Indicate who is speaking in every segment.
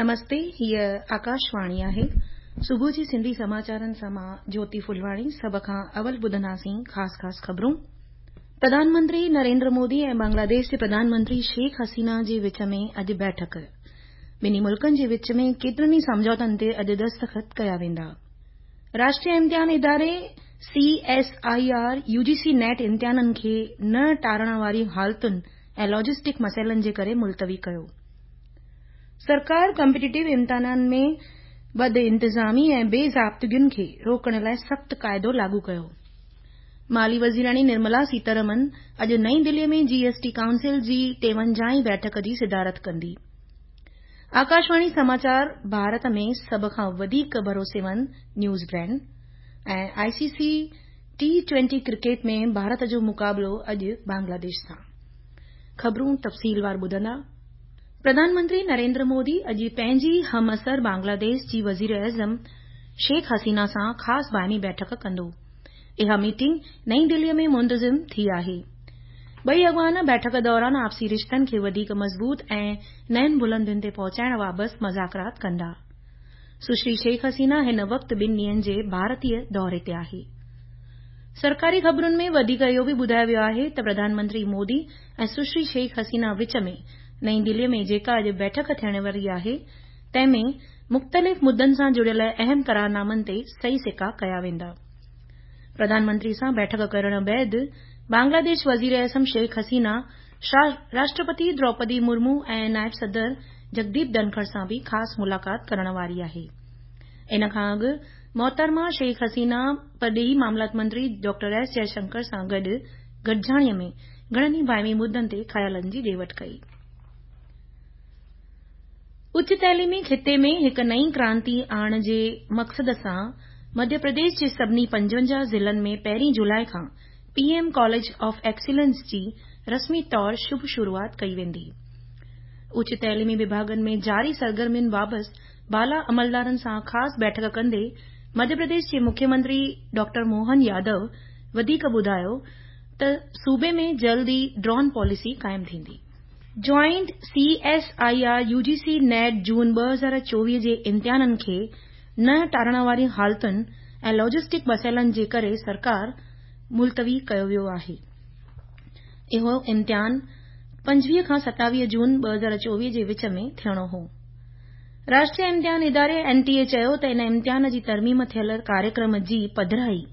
Speaker 1: نمستي هيء آڪاشواڻي آهي. صبح جي سنڌي سماچارن سان مان جوتي ڦلواڻي سڀ کان اول ٻڌنداسين خاص خاص خبرون. پرڌان منتري نريندر مودي ۽ بنگلاديش جي پرڌان منتري شيخ حسينه جي وچ ۾ اڄ بيٺڪ. ٻنهي ملڪن جي وچ ۾ ڪيترن ئي سمجهوتن تي اڄ دستخط ڪيا ويندا. راشٽريه امتحان اداري C S I R U G C NET امتحانن کي نه ٽارڻ واري حالتن ۽ لاجسٽڪ مسئلن جي ڪري ملتوي ڪيو. سرڪار ڪمپيٽيٽو امتحانن ۾ بدانتظامي ۽ بي ضابطگين کي روڪڻ لاء سخت قاعدو لاڳو ڪيو. مالي وزيراڻي نرملا سيتارمن اڄ نئين دهلي ۾ جي ايس ٽي ڪائونسل جي ٽيونجاهين بيٺڪ جي صدارت ڪندي. آڪاشواڻي سماچار ڀارت ۾ سڀ کان وڌيڪ ڀروسيمند news brand ۽ I C C T twenty cricket ۾ Bharat جو مقابلو اڄ بنگلاديش سان. خبرون تفصيلوار ٻڌندا. پرڌان منتري نريندر مودي اڄ پنهنجي همعصر بنگلاديش جي وزيراعظم شيخ حسينه سان خاص باهمي بيٺڪ ڪندو. اها ميٽنگ نئين دهلي ۾ منتظم ٿي آهي. ٻئي اڳواڻ بيٺڪ دوران آپسي رشتن کي وڌيڪ مضبوط ۽ نين بلندين تي پهچائڻ بابت مذاڪرات ڪندا. سشري شيخ حسينه هن وقت ٻن ڏينهن جي ڀارتي دوري تي آهي. سرڪاري خبرن ۾ وڌيڪ اهو به ٻڌايو ويو آهي ته پرڌان منتري مودي ۽ سشري شيخ حسينه وچ ۾ نئين دهلي ۾ جيڪا اڄ بيٺڪ ٿيڻ واري آهي تنهن ۾ مختلف مدن سان جڙيل اهم قرارنامن تي صحيح سڪا ڪيا ويندا. پرڌان منتري سان بيٺڪ ڪرڻ بعد بنگلاديش وزيراعظم شيخ حسينه راشٽرپتي دروپدي مرمو ۽ نائب صدر جگديپ ڌنکڙ سان به خاص ملاقات ڪرڻ واري آهي. ان کان اڳ محترمه شيخ حسينه پرڏيهي معاملات منتري ڊاڪٽر ايس جئه شنڪر سان گڏ گڏجاڻي ۾ گهڻن ئي باهمي مدن تي خيالن جي ڏي وٺ ڪئي. اچ تعليمي خطي ۾ هڪ نئين ڪرانتي آڻڻ جي مقصد سان مڌيه پرديش جي سڀني 55 ضلعن ۾ پهرين جولاء کان P M college of excellence جي رسمي طور شڀ شروعات ڪئي ويندي. اچ تعليمي وڀاڳن ۾ جاري سرگرمين بابت بالا عملدارن سان خاص بيٺڪ ڪندي مڌيه پرديش جي مکيه منتري ڊاڪٽر موهن يادو وڌيڪ ٻڌايو ته صوبي ۾ جلد ئي ڊرون پاليسي قائم ٿيندي. Joint C S I R U G C NET June 2024 جي امتحانن کي نه ٽارڻ واري حالتن ۽ لاجسٽڪ مسئلن جي ڪري سرڪار ملتوي ڪيو ويو آهي. اهو امتحان 25 کان 27 جون 2024 جي وچ ۾ ٿيڻو هو. راشٽريه امتحان اداري اين ٽي اي چيو ته ان امتحان جي ترميم ٿيل ڪاريڪرم جي پڌرائي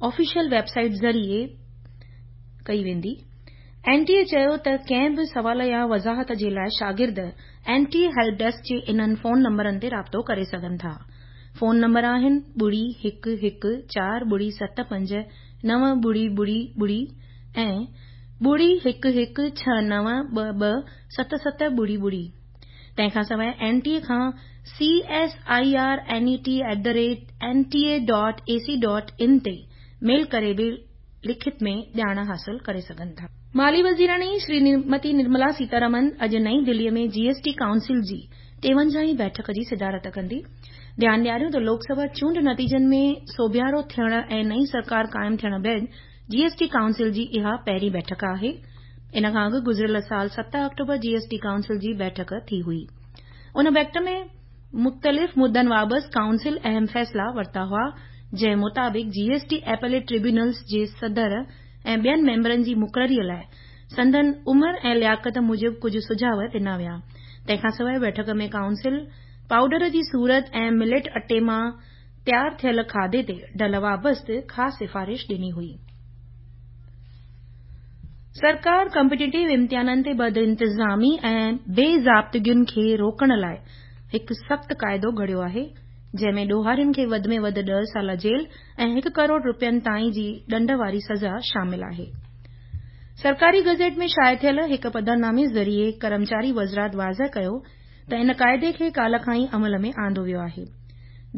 Speaker 1: آفيشل ويب سائيٽ ذريعي ڪئي ويندي. اين ٽي اي چيو ته ڪنهن به سوال يا وضاحت جي لاء شاگرد N T A help desk جي انهن فون نمبرن تي رابطو ڪري سگهن ٿا. فون نمبر آهن ٻڙي هڪ هڪ چار ٻڙي ست پنج نو ٻڙي ٻڙي ٻڙي ۽ ٻڙي هڪ هڪ ڇهه نو ٻه ٻه ست ست ٻڙي ٻڙي. تنهن کان سواء اين ٽي اي کان C S I R N E T at the rate N T A dot A C dot in تي ميل ڪري به لکت ۾ ڄاڻ حاصل ڪري سگهن ٿا. مالي وزيراڻي شريمتي نرملا سيتارمن اڄ نئين دهلي ۾ جي ايس ٽي ڪائونسل جي ٽيونجاهين بيٺڪ جي صدارت ڪندي. ڌيان ڏياريون ته لوڪ سڀا چونڊ نتيجن ۾ سوڀيارو ٿيڻ ۽ نئين سرڪار قائم ٿيڻ بعد جي ايس ٽي ڪائونسل جي اها پهرين بيٺڪ آهي. ان کان اڳ گذريل سال ست آڪٽوبر جي ايس ٽي ڪائونسل جي بيٺڪ ٿي هئي. ان بيٺڪ ۾ مختلف مدن بابت ڪائونسل اهم فيصلا ورتا هئا جنهن مطابق G S T appellate tribunals جي صدر ۽ ٻين ميمبرن جي مقرري لاء سندن عمر ۽ لياقت موجب ڪجهه سجهاء ڏنا ويا. تنهن کانسواء بيٺڪ ۾ ڪائونسل پائوڊر جي صورت ۽ مليٽ اٽي مان تيار ٿيل کاڌي تي ڍل بابت خاص سفارش ڏني هئي. سرڪار ڪمپيٽيٽو امتحانن تي بدانتظامي ۽ بي ضابطگين کي روڪڻ لاء هڪ سخت قاعدو گهڙيو آهي، جنهن ۾ ڏوهارين کي وڌ ۾ وڌ ڏهه سال جيل ۽ هڪ ڪروڙ رپين تائين جي ڏنڊ واري سزا شامل آهي. سرڪاري گزيٽ ۾ شايع ٿيل هڪ پڌرنامي ذريعي ڪرمچاري وزارت واضح ڪيو ته ان قاعدي کي ڪالهه کان ئي عمل ۾ آندو ويو آهي.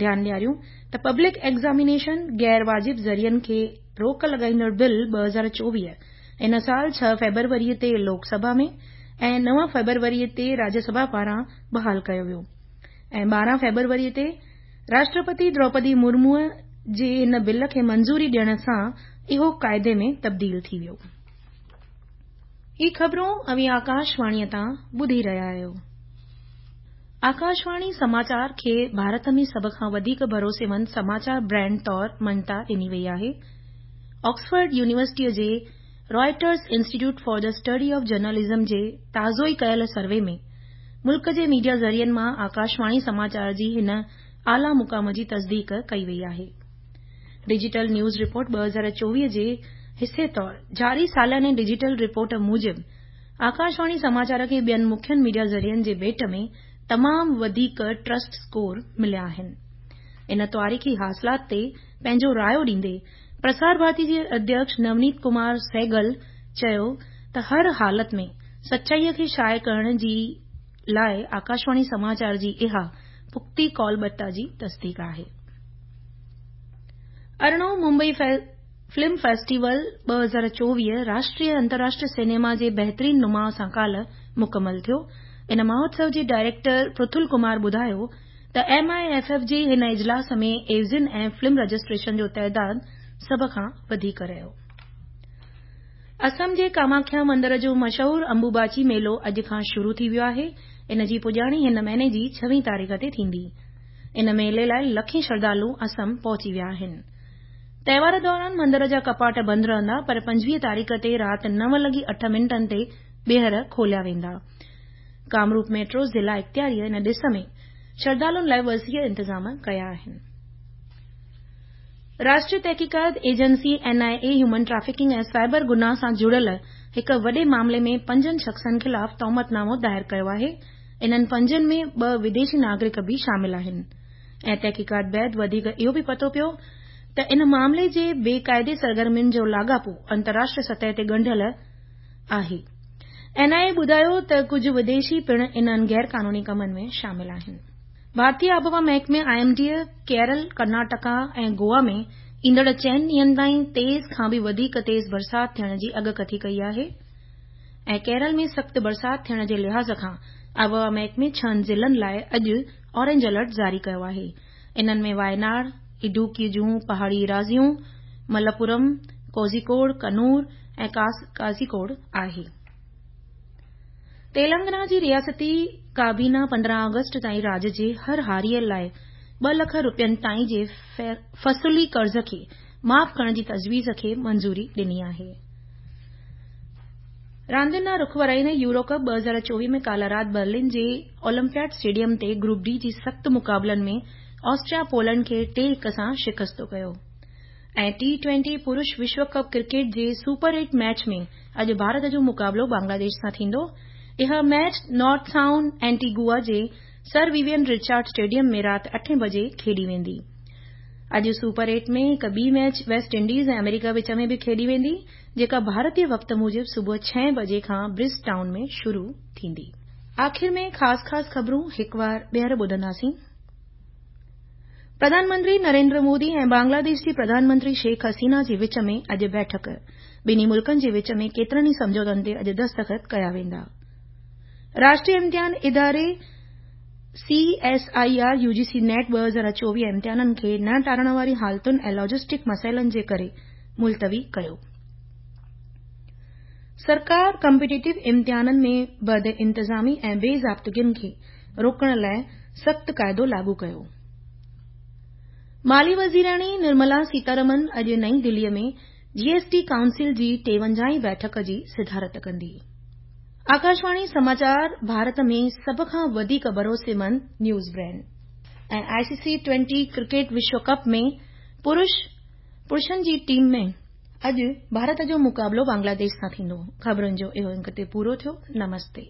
Speaker 1: ڌيان ڏياريون ته پبلڪ ايگزامينيشن غير واجب ذريعن کي روڪ لڳائيندڙ بل 2024 ان سال ڇهه فيبروري تي لوڪ سڀا ۾ ۽ نو فيبروري تي راجيه سڀا پاران بحال ڪيو ويو ۽ 12 فيبروري تي راشٽرپتي دروپدي مرمو جي ان بل کي منظوري ڏيڻ سان اهو قاعدي ۾ تبديل ٿي ويو. هي خبرون اوهين آڪاشواڻيء تان ٻڌي رهيا آهيو. آڪاشواڻي سماچار کي ڀارت ۾ سڀ کان وڌيڪ ڀروسيمند سماچار برانڊ طور مڃتا ڏني وئي آهي. آڪسفورڊ يونيورسٽيء جي Reuters Institute for the Study of Journalism جي تازو ئي ڪيل سروي ۾ ملڪ جي ميڊيا ذريعن مان آڪاشواڻي سماچار جي هن اعليٰ مقام جي تصديق ڪئي وئي آهي. ڊجيٽل نيوز رپورٽ 2024 جي حصي طور جاري سالياني ڊجيٽل رپورٽ موجب آڪاشواڻي سماچار کي ٻين مکين ميڊيا ذريعن جي ڀيٽ ۾ تمام وڌيڪ ٽرسٽ اسڪور مليا آهن. ان تاريخي حاصلات تي پنهنجو رايو ڏيندي پرسار ڀارتي جي اڌيڪش نونيت ڪمار سهگل چيو ته هر حالت ۾ سچائي کي شايع ڪرڻ جي لاء آڪاشواڻي سماچار جي اها پختي قولبتا جي تصديق آهي. ارڙهون ممبئي فلم فيسٽيول 2024 راشٽريه ۽ انترراشٽريه سئنيما جي بهترين نماء سان ڪالهه مڪمل ٿيو. ان مهوتسو جي ڊائريڪٽر پرٿل ڪمار ٻڌايو ته ايم I F F جي هن اجلاس ۾ عيوضين ۽ فلم رجسٽريشن جو تعداد سڀ کان وڌيڪ رهيو. اسم جي ڪاماکيا مندر جو مشهور امبوباچي ميلو اڄ کان شروع ٿي ويو آهي. ان جي پڄاڻي هن مهيني جي ڇويهين تاريخ تي ٿيندي. ان ميلي لاء لکين شرڌالو اسم پهچي ويا آهن. تهوار دوران مندر جا ڪپاٽ بند رهندا پر 25 تاريخ تي رات نو لڳي اٺ منٽن تي ٻيهر کوليا ويندا. ڪامروپ ميٽرو ضلع اختياريء ان ڏس ۾ شرڌالن لاء وسيع انتظام ڪيا آهن. راشٽريه تحقيقات agency, N I A, human trafficking ۽ cyber گناهه سان جڙيل هڪ وڏي معاملي ۾ پنجن شخصن خلاف تهمت نامو دائر ڪيو آهي. انهن پنجن ۾ ٻه وديشي ناگرڪ به شامل آهن ۽ تحقيقات بعد وڌيڪ اهو به پتو پيو ته ان معاملي جي بي قاعدي سرگرمين جو لاڳاپو انترراشٽريه سطح تي ڳنڍيل آهي. اين آء اي ٻڌايو ته ڪجهه وديشي پڻ انهن غير قانوني ڪمن ۾ شامل آهن. ڀارتي آبهوا محڪمي، I M D, Kerala, Karnataka ۽ Goa ۾ ايندڙ چئن ڏينهن تائين تيز کان به وڌيڪ تيز برسات ٿيڻ جي اڳڪٿي ڪئي آهي ۽ ڪيرل ۾ سخت برسات ٿيڻ جي لحاظ کان آبهوا محڪمي ڇهن ضلعن لاء اڄ اورينج الرٽ جاري ڪيو آهي. انهن ۾ وايناڙ، اڊوڪي جون پهاڙي ايراضيون، ملپورم، ڪوزيڪوڙ، ڪنور ۽ ڪازيڪوڙ آهي. تيلنگانا جي رياستي ڪابينا 15 آگسٽ تائين راڄ جي هر هاريء لاء ٻه لک رپين تائين جي فصلي قرض کي معاف ڪرڻ جي تجويز کي منظوري ڏني آهي. راندين ڏانهن رخ ورائيندي يورو ڪپ 2024 ۾ ڪالهه رات برلن جي اولمپياڊ اسٽيڊيم تي گروپ ڊي جي سخت مقابلن ۾ آسٽريا پولينڊ کي ٽي هڪ سان شڪست ڪيو ۽ ٽي ٽوئنٽي پرش وشو ڪپ ڪرڪيٽ جي سپر ايٽ ميچ ۾ اڄ ڀارت جو مقابلو بنگلاديش سان ٿيندو. اها ميچ نارٿ سائونڊ اينٽيگوا جي سر ويوين رچارڊ اسٽيڊيم ۾ رات اٺين بجي کيڏي ويندي. اڄ سپر ايٽ ۾ هڪ ٻي ميچ ويسٽ انڊيز ۽ آمريڪا وچ ۾ به کيڏي ويندي جيڪا ڀارتي وقت موجب صبح ڇهين بجي کان برج ٽائون ۾ شروع ٿيندي. آخر ۾ خاص خاص خبرون هڪوار ٻيهر ٻڌنداسين. پرڌان منتري نريندر مودي ۽ بنگلاديش جي پرڌان منتري شيخ حسينه جي وچ ۾ اڄ بيٺڪ، ٻنهي ملڪن جي وچ ۾ ڪيترن ئي سمجهوتن تي اڄ دستخط ڪيا ويندا. راشٽريه امتحان اداري C S I R U G C NET 2024 امتحانن کي نه ٽارڻ واري حالتن ۽ لاجسٽڪ مسئلن جي ڪري ملتوي ڪيو. سرڪار ڪمپيٽيٽو امتحانن ۾ بدانتظامي ۽ بي ضابطگين کي روڪڻ لاء سخت قاعدو لاڳو ڪيو. مالي وزيراڻي نرملا سيتارمن اڄ نئين دهلي ۾ جي ايس ٽي ڪائونسل جي ٽيونجاهين بيٺڪ جي صدارت ڪندي. آڪاشواڻي سماچار ڀارت ۾ سڀ کان وڌيڪ ڀروسيمند news brand. ۽ I C C twenty cricket وشو ڪپ ۾ پرش پرشن جي ٽيم ۾ اڄ ڀارت جو مقابلو بنگلاديش سان ٿيندو. خبرن جو اهو انڪ اتي پورو ٿيو. نمستي.